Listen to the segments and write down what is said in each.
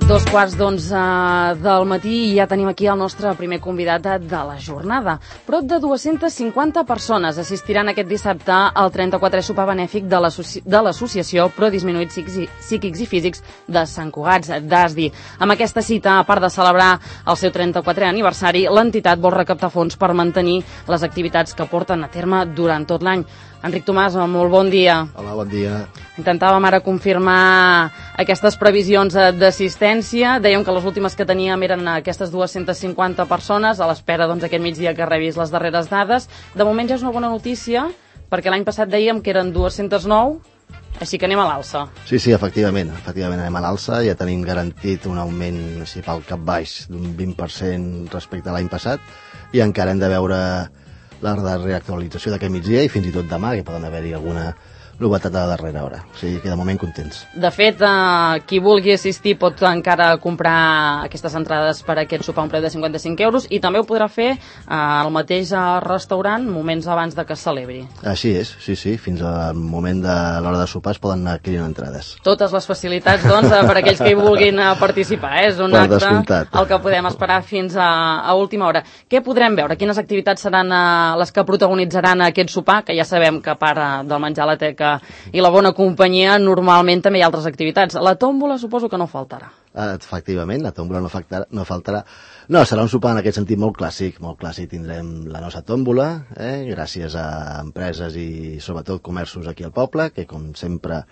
Dos quarts del matí i ja tenim aquí el nostre primer convidat de la jornada. Prop de 250 persones assistiran aquest dissabte al 34è sopar benèfic de l'associació Pro Disminuïts Psíquics i Físics de Sant Cugat d'Asdi. Amb aquesta cita, a part de celebrar el seu 34è aniversari, l'entitat vol recaptar fons per mantenir les activitats que porten a terme durant tot l'any. Enric Tomàs, molt bon dia. Hola, bon dia. Intentàvem ara confirmar aquestes previsions d'assistència. Dèiem que les últimes que teníem eren aquestes 250 persones, a l'espera aquest migdia que rebis les darreres dades. De moment ja és una bona notícia, perquè l'any passat dèiem que eren 209, així que anem a l'alça. Sí, efectivament anem a l'alça. Ja tenim garantit un augment, si pel cap baix, d'un 20% respecte a l'any passat, i encara hem de veure la reactualització d'aquest migdia i fins i tot demà, que poden haver-hi alguna novetat a la darrera hora. O sigui que de moment contents. De fet, qui vulgui assistir pot encara comprar aquestes entrades per a aquest sopar a un preu de 55 euros i també ho podrà fer al mateix restaurant moments abans de que es celebri. Així és, sí. Fins al moment de l'hora de sopar es poden anar adquirint entrades. Totes les facilitats, doncs, per a aquells que hi vulguin participar. És un acte el que podem esperar fins a última hora. Què podrem veure? Quines activitats seran les que protagonitzaran aquest sopar? Que ja sabem que a part del menjar a la teca i la bona companyia, normalment també hi ha altres activitats. La tòmbola suposo que no faltarà. Efectivament, la tòmbola no faltarà. No, serà un sopar en aquest sentit molt clàssic. Molt clàssic. Tindrem la nostra tòmbola, gràcies a empreses i sobretot comerços aquí al poble, que com sempre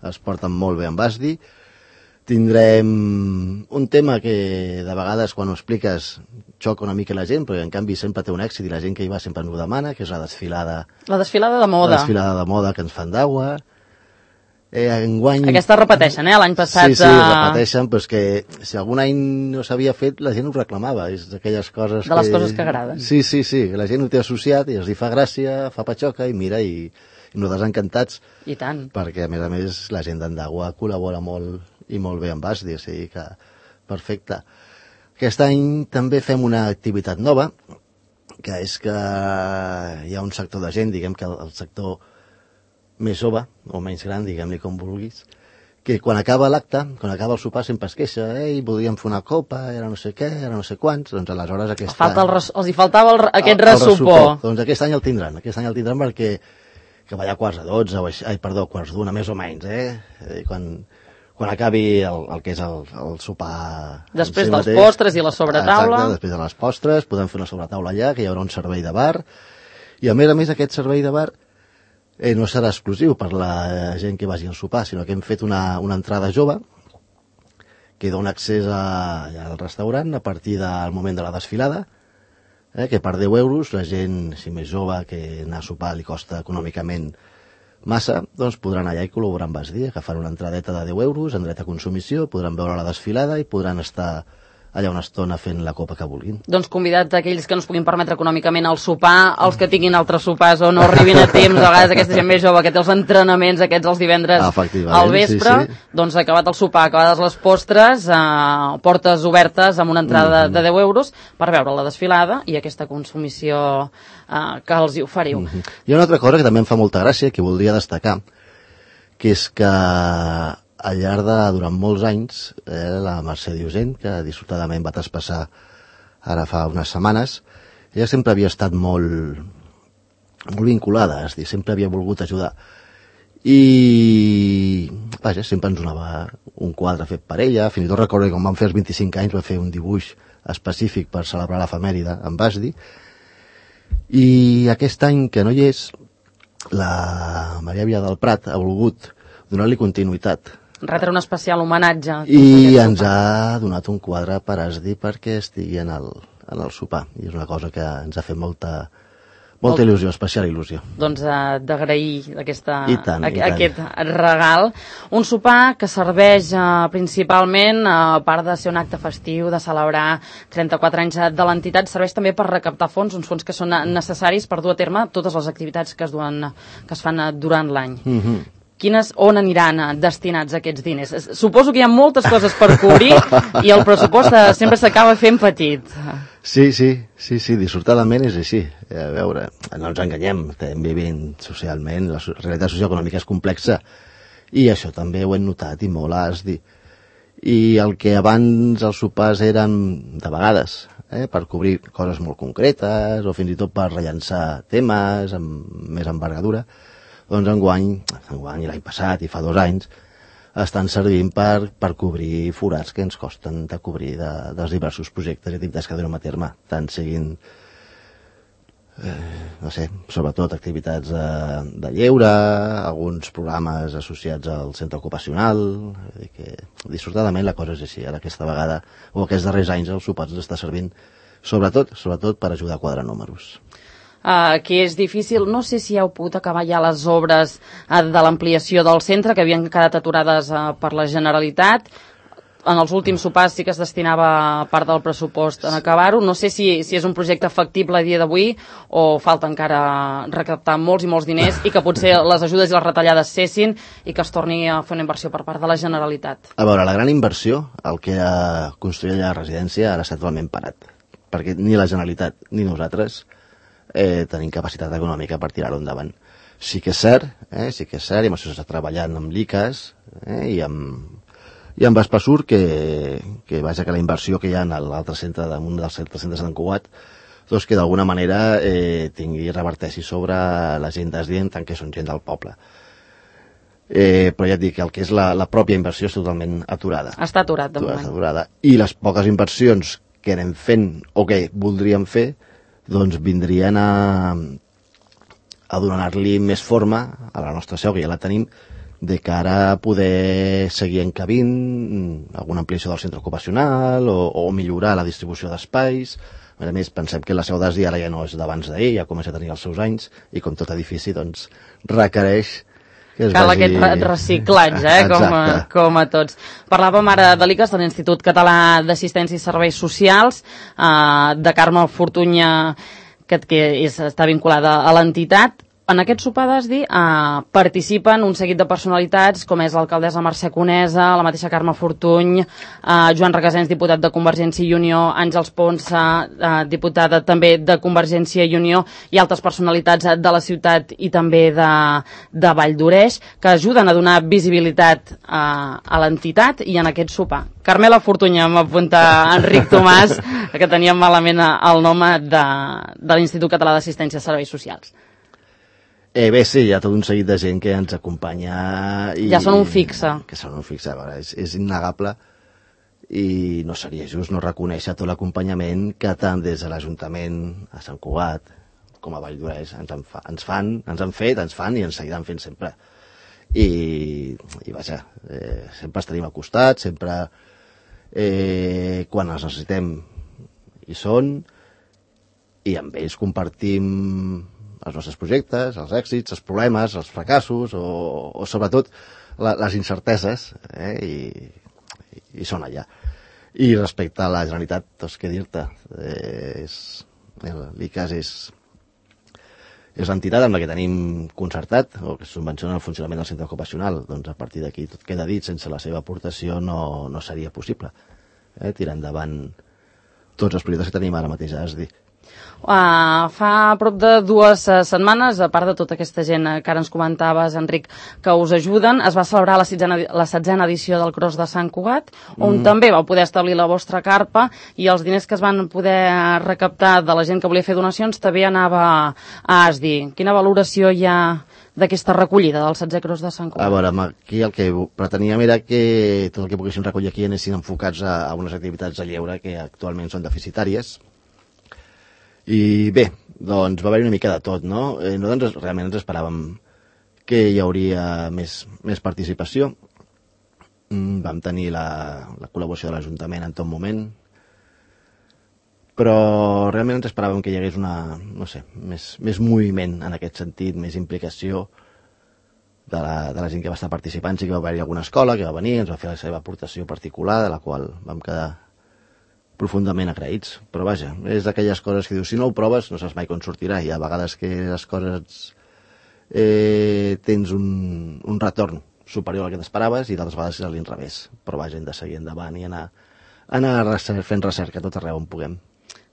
es porten molt bé amb Asdi. Tindrem un tema que de vegades quan ho expliques xoca una mica la gent, però en canvi sempre té un èxit i la gent que hi va sempre ens ho demana, que és la desfilada. La desfilada de moda. La desfilada de moda que ens fan d'aigua. Enguany... Aquesta repeteixen, l'any passat... Sí, repeteixen, però és que si algun any no s'havia fet, la gent ho reclamava. És d'aquelles coses de les coses que agraden. Sí, la gent ho té associat i els hi fa gràcia, fa patxoca i mira, i nosaltres encantats. I tant. Perquè, a més, la gent d'Endagua col·labora molt i molt bé amb Asdi, o sigui que perfecte. Aquest any també fem una activitat nova, que és que hi ha un sector de gent, diguem que el sector més jove, o menys gran, diguem-li com vulguis, que quan acaba l'acte, quan acaba el sopar, sempre es queixa, voldríem fer una copa, era no sé què, era no sé quants, doncs aleshores aquest any... Els hi faltava aquest ressupor. Doncs aquest any el tindran perquè que va a quarts de 12, quarts d'una, més o menys, quan acabi el que és el sopar... Després dels postres i la sobretaula. Exacte, després de les postres, podem fer una sobretaula allà, que hi haurà un servei de bar, i a més aquest servei de bar no serà exclusiu per la gent que vagi al sopar, sinó que hem fet una entrada jove, que dona accés al restaurant a partir del moment de la desfilada, que per 10 euros la gent, si més jove, que anar a sopar li costa econòmicament massa, doncs podran allà i col·laborar amb Asdi, agafar una entradeta de 10 euros en dret a consumició, podran veure la desfilada i podran estar allà una estona fent la copa que vulguin. Doncs convidat a aquells que no es puguin permetre econòmicament el sopar, els que tinguin altres sopars o no arribin a temps, a vegades aquesta gent més jove que té els entrenaments aquests els divendres al vespre, doncs acabat el sopar, acabades les postres, portes obertes amb una entrada de 10 euros per veure la desfilada i aquesta consumició que els hi oferiu. Hi ha una altra cosa que també em fa molta gràcia, que voldria destacar, que és que al llarg de, durant molts anys, la Mercè Diosent, que dissortadament va traspassar ara fa unes setmanes, ella sempre havia estat molt vinculada, és a dir, sempre havia volgut ajudar. I, vaja, sempre ens donava un quadre fet per ella, fins i tot recordo que quan vam fer els 25 anys va fer un dibuix específic per celebrar l'efemèride amb Asdi, i aquest any que no hi és, la Maria Via del Prat ha volgut donar-li continuïtat. Retre un especial homenatge. I ens ha donat un quadre per Asdi perquè estigui en el sopar. I és una cosa que ens ha fet molta il·lusió, especial il·lusió. Doncs d'agrair aquest regal. Un sopar que serveix principalment, a part de ser un acte festiu, de celebrar 34 anys de l'entitat, serveix també per recaptar fons, uns fons que són necessaris per dur a terme totes les activitats que es fan durant l'any. On aniran destinats aquests diners? Suposo que hi ha moltes coses per cobrir i el pressupost sempre s'acaba fent petit. Sí, dissortadament és així. A veure, no ens enganyem, estem vivint socialment, la realitat socioeconòmica és complexa i això també ho hem notat i molt, has dit. I el que abans els sopars eren, de vegades, per cobrir coses molt concretes o fins i tot per rellançar temes amb més envergadura, doncs enguany i l'any passat i fa 2 anys, estan servint per cobrir forats que ens costen de cobrir dels diversos projectes i activitats que duem a terme, tant siguin, no sé, sobretot activitats de lleure, alguns programes associats al centre ocupacional, que dissortadament la cosa és així. Ara aquesta vegada, o aquests darrers anys, el sopar ens està servint sobretot per ajudar a quadrar números. Que és difícil. No sé si heu pogut acabar ja les obres de l'ampliació del centre, que havien quedat aturades per la Generalitat. En els últims sopars sí que es destinava part del pressupost en acabar-ho. No sé si és un projecte factible a dia d'avui o falta encara recaptar molts i molts diners i que potser les ajudes i les retallades cessin i que es torni a fer una inversió per part de la Generalitat. A veure, la gran inversió, el que ha construït la residència, ara està totalment parat, perquè ni la Generalitat ni nosaltres tenim capacitat econòmica per tirar-ho endavant. Sí que és cert, i amb això s'està treballant amb l'ICAS i amb Espasur, que vaja que la inversió que hi ha en l'altre centre, un dels centres d'en Cugat, doncs que d'alguna manera reverteixi sobre la gent d'Esdient, tant que són gent del poble. Però ja et dic que el que és la pròpia inversió és totalment aturada. Està aturat, de moment. Aturada. I les poques inversions que anem fent o que voldríem fer, doncs vindrien a donar-li més forma a la nostra seu, que ja la tenim, de cara a poder seguir encabint alguna ampliació del centre ocupacional o millorar la distribució d'espais. A més, pensem que la seu d'Esdi ara ja no és d'abans d'ahir, ja comença a tenir els seus anys, i com tot edifici, doncs, requereix que es cal vagi... aquest reciclatge, com a tots. Parlàvem ara de l'ICAS, de l'Institut Català d'Assistència i Serveis Socials, de Carme Fortunya, que està vinculada a l'entitat. En aquest sopar d'Esdi participen un seguit de personalitats, com és l'alcaldessa Mercè Conesa, la mateixa Carme Fortuny, Joan Requesens, diputat de Convergència i Unió, Àngels Ponsa, diputada també de Convergència i Unió, i altres personalitats de la ciutat i també de Vall d'Oreix, que ajuden a donar visibilitat a l'entitat i en aquest sopar. Carmela Fortunya, m'apunta Enric Tomàs, que teníem malament el nom de l'Institut Català d'Assistència i Serveis Socials. Bé, sí, hi ha tot un seguit de gent que ens acompanya. Ja són un fixe. Que són un fixe, és innegable i no seria just no reconèixer tot l'acompanyament que tant des de l'Ajuntament a Sant Cugat com a Vall d'Oreix ens fan i ens seguiran fent sempre. I vaja, sempre estaríem al costat, sempre quan els necessitem hi són, i amb ells compartim els nostres projectes, els èxits, els problemes, els fracassos o sobretot les incerteses, i són allà. I respecte a la Generalitat, doncs què dir-te, l'ICAS és l'entitat amb la que tenim concertat o que subvenciona el funcionament del centre ocupacional. Doncs a partir d'aquí tot queda dit, sense la seva aportació no seria possible tirar endavant tots els projectes que tenim ara mateix a Esdi. Fa prop de 2 setmanes, a part de tota aquesta gent que ara ens comentaves, Enric, que us ajuden, es va celebrar la 16a edició del Cros de Sant Cugat, on també vau poder establir la vostra carpa, i els diners que es van poder recaptar de la gent que volia fer donacions també anava a Esdi. Quina valoració hi ha d'aquesta recollida del 16è Cros de Sant Cugat? A veure, aquí el que preteníem era que tot el que poguéssim recollir aquí anessin enfocats a unes activitats de lleure que actualment són deficitàries. I bé, doncs va haver-hi una mica de tot, no? Nosaltres realment ens esperàvem que hi hauria més participació. Vam tenir la col·laboració de l'Ajuntament en tot moment, però realment ens esperàvem que hi hagués més moviment en aquest sentit, més implicació de la gent que va estar participant. Sí que va haver-hi alguna escola que va venir, ens va fer la seva aportació particular, de la qual vam quedar profundament agraïts, però vaja, és d'aquelles coses que dius, si no ho proves no saps mai com sortirà, i a vegades que les coses tens un retorn superior al que t'esperaves i d'altres vegades és a l'inrevés, però vaja, hem de seguir endavant i anar fent recerca tot arreu on puguem.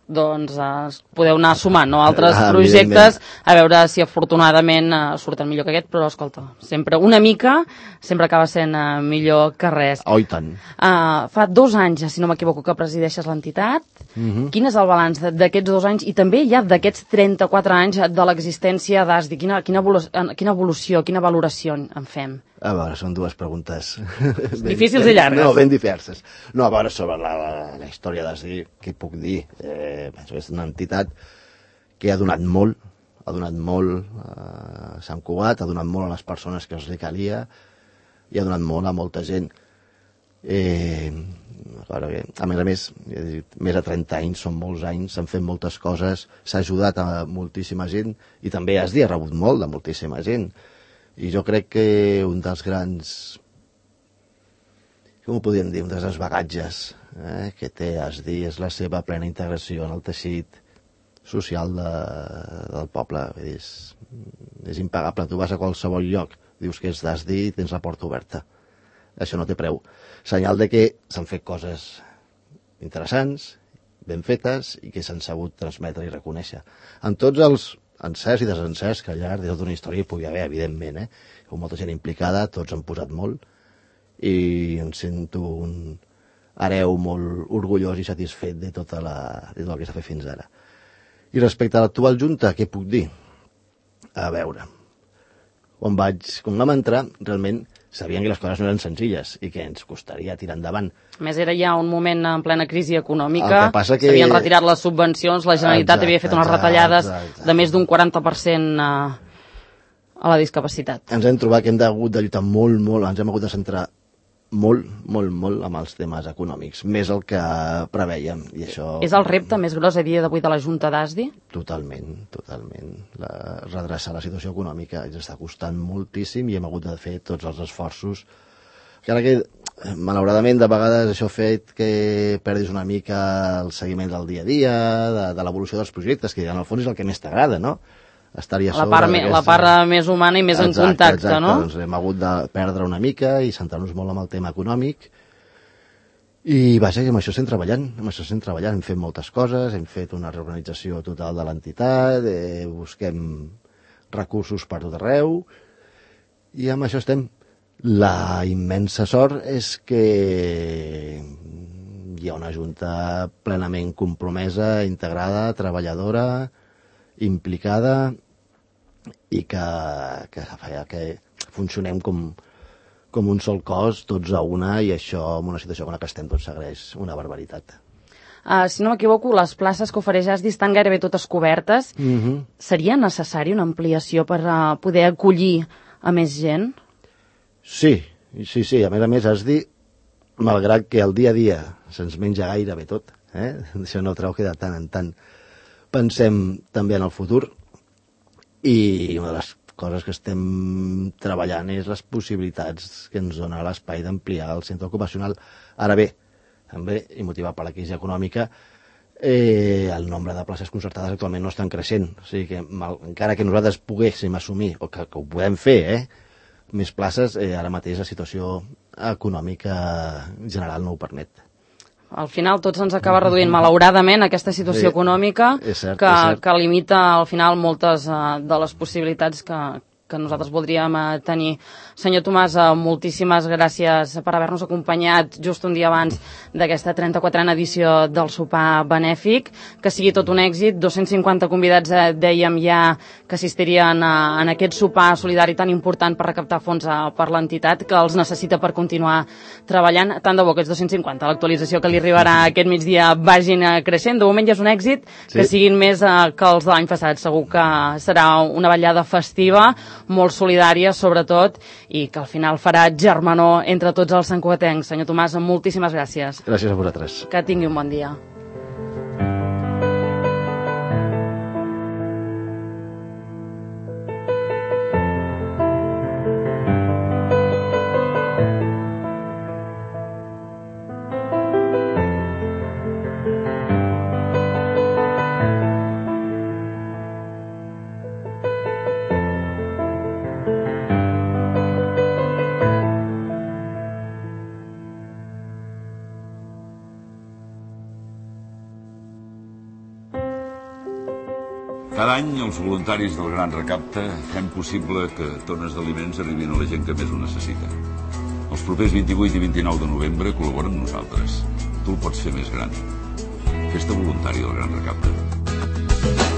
podeu anar sumant, no? Altres projectes, a veure si afortunadament surten millor que aquest, però escolta, sempre una mica sempre acaba sent millor que res. Oh, i tant. Fa 2 anys, si no m'equivoco, que presideixes l'entitat. Quin és el balanç d'aquests 2 anys i també ja d'aquests 34 anys de l'existència d'ASDI? Quina evolució, quina valoració en fem? A veure, són 2 preguntes difícils i llargues. No, ben diverses. No, a veure, sobre la història d'ASDI, què puc dir? És una entitat que ha donat molt a Sant Cugat, ha donat molt a les persones que els li calia i ha donat molt a molta gent. A més, més de 30 anys, són molts anys, s'han fet moltes coses, s'ha ajudat a moltíssima gent i també ASDI ha rebut molt de moltíssima gent. I jo crec que un dels grans, com ho podríem dir, un dels bagatges que té ASDI és la seva plena integració en el teixit social del poble. És impagable. Tu vas a qualsevol lloc, dius que és d'ASDI i tens la porta oberta. Això no té preu. Senyal de que s'han fet coses interessants, ben fetes i que s'han sabut transmetre i reconèixer. En tots els encerts i desencerts que al llarg de tota una història hi pugui haver, evidentment, com molta gent implicada, tots han posat molt i em sento un hereu molt orgullós i satisfet de tot el que s'ha fet fins ara. I respecte a l'actual Junta, què puc dir? A veure, quan vam entrar, realment sabien que les coses no eren senzilles i que ens costaria tirar endavant. A més, era ja un moment en plena crisi econòmica, s'havien retirat les subvencions, la Generalitat havia fet unes retallades de més d'un 40% a la discapacitat. Ens hem trobat que hem hagut de lluitar molt, ens hem hagut de centrar molt amb els temes econòmics, més el que prevèiem. I això... És el repte més gros a dia d'avui de la Junta d'ASDI? Totalment. Redreçar la situació econòmica ens està costant moltíssim i hem hagut de fer tots els esforços. Encara que, malauradament, de vegades això ha fet que perdis una mica el seguiment del dia a dia, de l'evolució dels projectes, que en el fons és el que més t'agrada, no? La part més humana i més en contacte, no? Doncs hem hagut de perdre una mica i centrar-nos molt en el tema econòmic i vaja, amb això estem treballant, hem fet moltes coses, hem fet una reorganització total de l'entitat, busquem recursos per tot arreu i amb això estem. La immensa sort és que hi ha una junta plenament compromesa, integrada, treballadora, implicada i que funcionem com un sol cos, tots a una, i això, en una situació com la que estem, doncs s'agraeix una barbaritat. Si no m'equivoco, les places que ofereix ASDI estan gairebé totes cobertes. Seria necessari una ampliació per poder acollir a més gent? Sí. A més, ASDI, malgrat que el dia a dia se'ns menja gairebé tot, això no treu que de tant en tant pensem també en el futur i una de les coses que estem treballant és les possibilitats que ens dona l'espai d'ampliar el centre ocupacional. Ara bé, també, i motivat per la crisi econòmica, el nombre de places concertades actualment no estan creixent. O sigui que, encara que nosaltres poguéssim assumir, o que ho podem fer, més places, ara mateix la situació econòmica general no ho permet. Al final tot se'ns acaba reduint, malauradament, aquesta situació econòmica que limita al final moltes de les possibilitats que nosaltres voldríem tenir. Senyor Tomàs, moltíssimes gràcies per haver-nos acompanyat just un dia abans d'aquesta 34a edició del sopar benèfic. Que sigui tot un èxit. 250 convidats, dèiem ja, que assistirien en aquest sopar solidari tan important per recaptar fons per l'entitat, que els necessita per continuar treballant. Tant de bo aquests 250, l'actualització que li arribarà aquest migdia, vagin creixent. De moment ja és un èxit, que siguin més que els de l'any passat. Segur que serà una ballada festiva, molt solidària, sobretot, i que al final farà germanor entre tots els santcugatencs. Senyor Tomàs, moltíssimes gràcies. Gràcies a vosaltres. Que tingui un bon dia. any, els voluntaris del Gran Recapte fem possible que tones d'aliments arribin a la gent que més ho necessita. Els propers 28 i 29 de novembre col·labora amb nosaltres. Tu el pots fer més gran. Festa voluntària del Gran Recapte.